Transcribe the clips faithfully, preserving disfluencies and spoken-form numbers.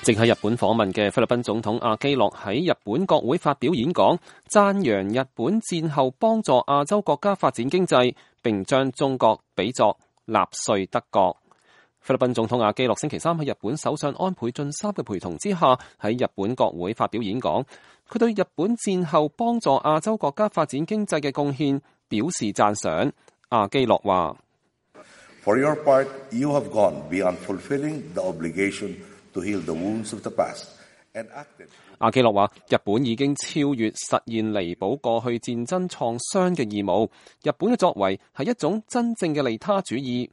正喺日本訪問嘅菲律賓總統阿基諾喺日本國會發表演講，讚揚日本戰後幫助亞洲國家發展經濟，並將中國比作納粹德國。菲律賓總統阿基諾星期三喺日本首相安倍晉三嘅陪同之下，喺日本國會發表演講，佢對日本戰後幫助亞洲國家發展經濟嘅貢獻表示讚賞。阿基諾話：For your part, you have gone beyond fulfilling the obligation to heal the wounds of the past and acted。阿基諾話：日本已經超越實現彌補過去戰爭創傷嘅義務。日本嘅作為係一種真正嘅利他主義。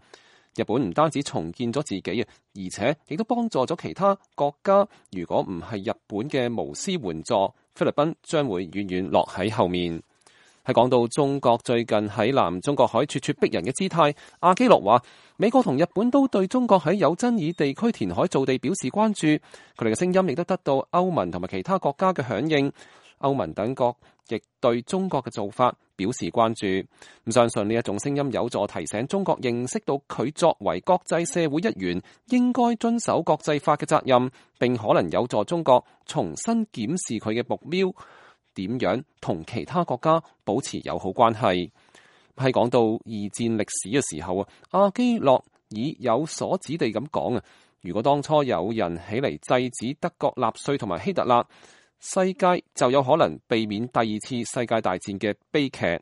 日本唔單止重建咗自己啊，而且亦都幫助咗其他國家。如果唔係日本嘅無私援助，菲律賓將會遠遠落喺後面。喺講到中國最近喺南中國海咄咄逼人嘅姿態，阿基諾話：美國同日本都對中國喺有爭議地區填海造地表示關注，佢哋嘅聲音亦都得到歐盟同埋其他國家嘅響應。歐盟等國亦對中國嘅做法表示關注。咁相信呢一種聲音有助提醒中國認識到佢作為國際社會一員應該遵守國際法嘅責任，並可能有助中國重新檢視佢嘅目標。點樣同其他國家保持友好關係？喺講到二戰歷史嘅時候啊，阿基諾以有所指地咁講啊，如果當初有人起嚟制止德國納粹同埋希特勒，世界就有可能避免第二次世界大戰嘅悲劇。